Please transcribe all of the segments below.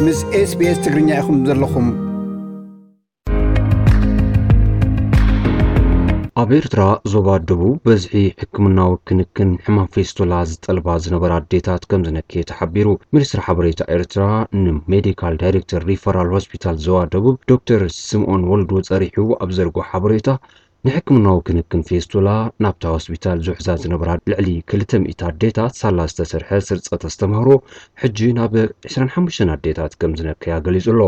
ምስ SBS ትግርኛ ኢኹም ዘለኹም። ኣብ ኤርትራ ዞባ ደቡብ በዝሒ ሕክምናዊ ክንክን ሕማም ፌስቶላ ዝጠልባ ዝነበራ ኣዴታት ከም ዝነከየ ተሓቢሩ። ሚኒስትሪ ሓበሬታ ኤርትራ ንሜዲካል ዳይሬክተር ሪፈራል ሆስፒታል ዞባ ደቡብ ዶክተር ስምኦን ወልዱ ጸሪሑ ኣብ ዘርጎ ሓበሬታ፣ ንሕክምናዊ ክንክን ፌስቶላ ናብታ ሆስፒታል ዝውሕዛ ዝነበራ ልዕሊ ክልተ ሚእቲ ኣዴታት ሳላ ዝተሰርሐ ስርጸት ኣስተምህሮ፣ ሕጂ ናብ ዕስራን ሓሙሽተን ኣዴታት ከም ዝነከያ ገሊጹ ኣሎ።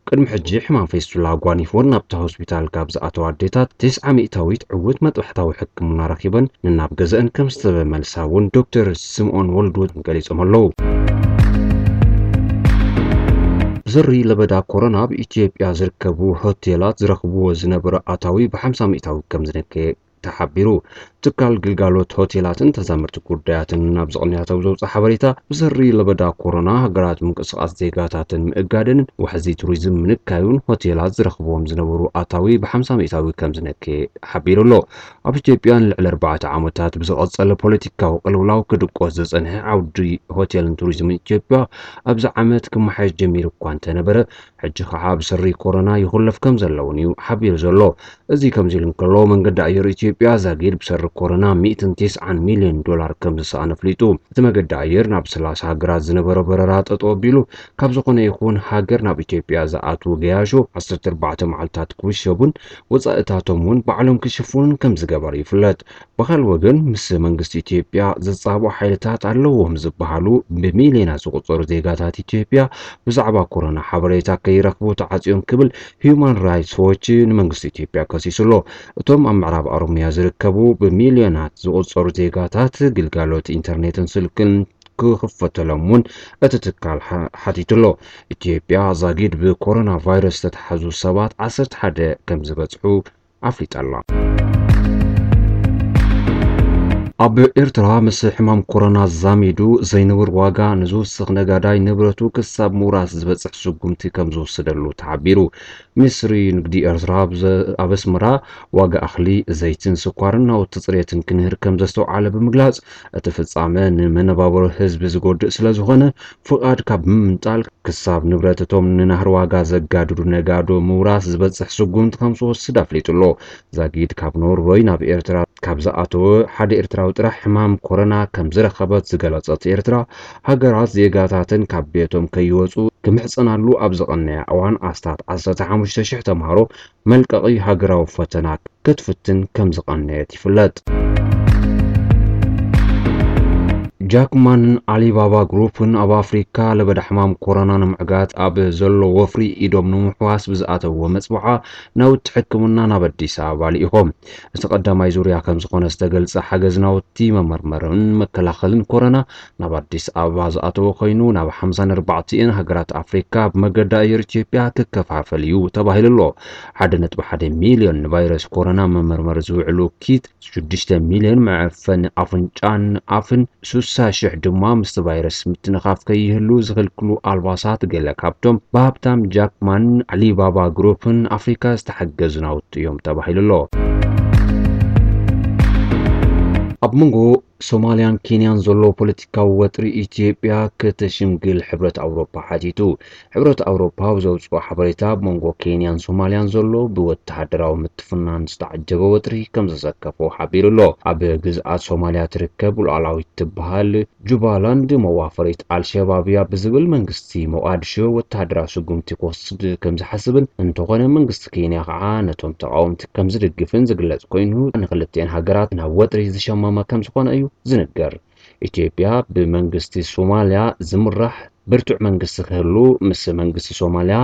ቅድሚ ሕጂ ሕማም ፌስቱላ ኣጓኒፍወን ናብታ ሆስፒታል ካብ ዝኣተዋ ኣዴታት፣ ተስዓ ሚእታዊት ዕዉት መጥባሕታዊ ሕክምና ረኺበን፣ ነናብ ገዘአን ከም ዝተመልሳ እውን ዶክተር ስምኦን ወልዱ ገሊጾም ኣለዉ። ብሰሪ ለበዳ ኮሮና ኣብ ኢትዮጵያ ዝርከቡ ሆቴላት ዝረኽብዎ ዝነበረ ኣታዊ ብ ሓምሳ ሚእታዊ ከም ዝነከየ ተሓቢሩ። ትካል ግልጋሎት ሆቴላትን ተዛመርቲ ጉዳያትን ናብ ዝቕንያቶም ዘውፅእ ሓበሬታ፣ ብሰሪ ለበዳ ኮሮና ሃገራት ምንቅስቓስ ዜጋታትን ምእጋደንን ዋሕዚ ቱሪዝም ምንካዩን ሆቴላት ዝረኽብዎም ዝነበሩ ኣታዊ ብ ሓምሳ ሚእታዊ ከም ዝነከየ ሓቢሩ ኣሎ። ኣብ ኢትዮጵያ ንልዕሊ ኣርባዕተ ዓመታት ብዝቐጸለ ፖለቲካዊ ቅልውላው ክድቆስ ዝጸንሐ ዓውዲ ሆቴልን ቱሪዝምን ኢትዮጵያ ኣብዚ ዓመት ክመሓየሽ ጀሚሩ እኳ እንተነበረ፣ ሕጂ ኸዓ ብሰሪ ኮሮና ይኹለፍ ከም ዘለውን እዩ ሓቢሩ ዘሎ። እዚ ከምዚ ኢሉ እንከሎ፣ መንገዲ ኣየር ኢትዮጵያ ዛጊድ ብሰሪ ኮሮና ሚእትን ተስዓን ሚልዮን ዶላር ከም ዝሰኣነ ኣፍሊጡ። እቲ መገዲ ኣየር ናብ ሰላሳ ሃገራት ዝነበሮ በረራ ጠጠው ኣቢሉ፣ ካብ ዝኾነ ይኹን ሃገር ናብ ኢትዮጵያ ዝኣትዉ ገያሾ ዓሰርተ ኣርባዕተ መዓልታት ክውሸቡን ወጻኢታቶም እውን ባዕሎም ክሽፍኑን ከም ዝገበረ ይፍለጥ። ብኻልእ ወገን፣ ምስ መንግስቲ ኢትዮጵያ ዝጻብኡ ሓይልታት ኣለዎም ዝበሃሉ ብሚልዮናት ዝቑጸሩ ዜጋታት ኢትዮጵያ ብዛዕባ ኮሮና ሓበሬታ ከይረኽቡ ተዓጽዮም ክብል ሂዩማን ራይትስ ዎች ንመንግስቲ ኢትዮጵያ ከሲሱ ኣሎ። እቶም ኣብ ምዕራብ ኦሮሚያ ዝርከቡ ብሚልዮናት ዝቑጸሩ ዜጋታት ግልጋሎት ኢንተርኔትን ስልክን ክኽፈተሎም እውን እቲ ትካል ሓ-፣ ሓቲቱ ኣሎ። ኢትዮጵያ ዛጊድ ብኮሮና ቫይረስ ዝተተሓዙ ሰባት ዓሰርተ ሓደ ከም ዝበጽሑ ኣፍሊጣ ኣላ። ኣብ ኤርትራ ምስ ሕማም ኮሮና ዛሚዱ ዘይንቡር ዋጋ ንዝውስኽ ነጋዳይ ንብረቱ ክሳብ ምውራስ ዝበጽሕ ስጉምቲ ከም ዝወሰደሉ ተሓቢሩ። ሚኒስትሪ ንግዲ ኤርትራ ኣብ ዘ-፣ ኣብ ኣስመራ ዋጋ እኽሊ፣ ዘይትን ስኳርን ናውቲ ጽሬትን ክንህር ከም ዘስተውዓለ ብምግላጽ፣ እቲ ፍጻመ ንመነባብሮ ህዝቢ ዝጎድእ ስለ ዝኾነ፣ ፍቓድ ካብ ምምንጣል ክሳብ ንብረት እቶም ንናህሪ ዋጋ ዘጋድዱ ነጋዶ ምውራስ ዝበጽሕ ስጉምቲ ከም ዝወስድ ኣፍሊጡ ኣሎ። ዛጊድ ካብ ኖርወይ ናብ ኤርትራ ካብ ዝኣተወ ሓደ ኤርትራዊ ጥራሕ ሕማም ኮሮና ከም ዝረኸበት ዝገለጸት ኤርትራ፣ ሃገራት ዜጋታተን ካብ ቤቶም ከይወጹ ክምሕጸናሉ ኣብ ዝቐነያ እዋን ኣስታት ዓሰርተ ሓሙሽተ ሽሕ ተምሃሮ መልቀቒ ሃገራዊ ፈተና ክትፍትን ከም ዝቐነየት ይፍለጥ። ጃክማን ኣሊባባ ግሩፕን ኣብ ኣፍሪካ ለበዳ ሕማም ኮሮና ንምዕጋት ኣብ ዘሎ ወፍሪ ኢዶም ንምሕዋስ ብዝኣተዎ መፅውዓ ናውቲ ሕክምና ናብ ኣዲስ ኣበባ ልኢኾም። እቲ ቀዳማይ ዙርያ ከም ዝኾነ ዝተገልጸ ሓገዝ ናውቲ መመርመርን መከላኸልን ኮሮና ናብ ኣዲስ ኣበባ ዝኣተወ ኮይኑ፣ ናብ ሓምሳን ኣርባዕተን ሃገራት ኣፍሪካ ብመገዲ ኣየር ኢትዮጵያ ክከፋፈል እዩ ተባሂሉ ኣሎ። ሓደ ነጥቢ ሓደ ሚልዮን ንቫይረስ ኮሮና መመርመሪ ዝውዕሉ ኪት፣ ሽዱሽተ ሚልዮን መዐፈኒ ኣፍንጫን ኣፍን፣ ስሳ ሽሕ ድማ ምስቲ ቫይረስ ምትንኻፍ ከይህሉ ዝኽልክሉ ኣልባሳት፣ ገለ ካብቶም ብሃብታም ጃክማን ኣሊባባ ግሩፕን ኣፍሪካ ዝተሓገዙ ናውቲ እዮም ተባሂሉ ኣሎ። ኣብ መንጎ ሶማልያን ኬንያን ዘሎ ፖለቲካዊ ወጥሪ ኢትዮጵያ ከተሽምግል ሕብረት ኣውሮፓ ሓቲቱ። ሕብረት ኣውሮፓ ኣብ ዘውፅኦ ሓበሬታ፣ ኣብ መንጎ ኬንያን ሶማልያን ዘሎ ብወተሃደራዊ ምትፍናን ዝተዓጀበ ወጥሪ ከም ዘሰከፎ ሓቢሩ ኣሎ። ኣብ ግዝኣት ሶማልያ ትርከብ ሉዓላዊት ትበሃል ጁባላንድ መዋፈሪት ኣልሸባብ እያ ብዝብል መንግስቲ ሞቓድሾ ወተሃደራዊ ስጉምቲ ክወስድ ከም ዝሓስብን፣ እንተኾነ መንግስቲ ኬንያ ከዓ ነቶም ተቃወምቲ ከም ዝድግፍን ዝግለጽ ኮይኑ፣ ንክልቲኤን ሃገራት ናብ ወጥሪ ዝሸመመ ከም ዝኾነ እዩ ዝንገር። ኢትዮጵያ ብመንግስቲ ሶማልያ ዝምራሕ ብርቱዕ መንግስቲ ክህሉ፣ ምስ መንግስቲ ሶማልያ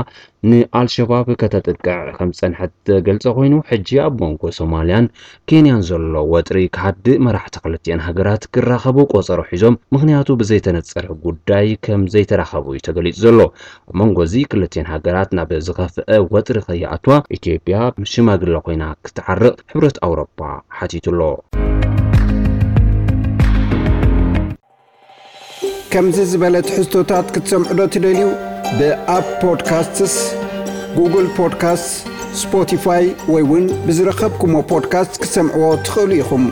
ንኣልሸባብ ከተጥቅዕ ከም ዝጸንሐት ዝገልጸ ኮይኑ፣ ሕጂ ኣብ መንጎ ሶማልያን ኬንያን ዘሎ ወጥሪ ክሃድእ፣ መራሕቲ ክልቲኤን ሃገራት ክራኸቡ ቆጸሮ ሒዞም፣ ምኽንያቱ ብዘይተነጸረ ጉዳይ ከም ዘይተራኸቡ እዩ ተገሊጹ ዘሎ። ኣብ መንጎ እዚ ክልቲኤን ሃገራት ናብ ዝኸፍአ ወጥሪ ከይኣትዋ፣ ኢትዮጵያ ሽማግለ ኮይና ክትዓርቕ ሕብረት ኣውሮፓ ሓቲቱ ኣሎ። ከምዚ ዝበለ ትሕዝቶታት ክትሰምዑ ዶ ትደልዩ? ብኣፕ ፖድካስትስ፣ ጉግል ፖድካስትስ፣ ስፖቲፋይ ወይ እውን ብዝረኸብኩሞ ፖድካስት ክትሰምዕዎ ትኽእሉ ኢኹም።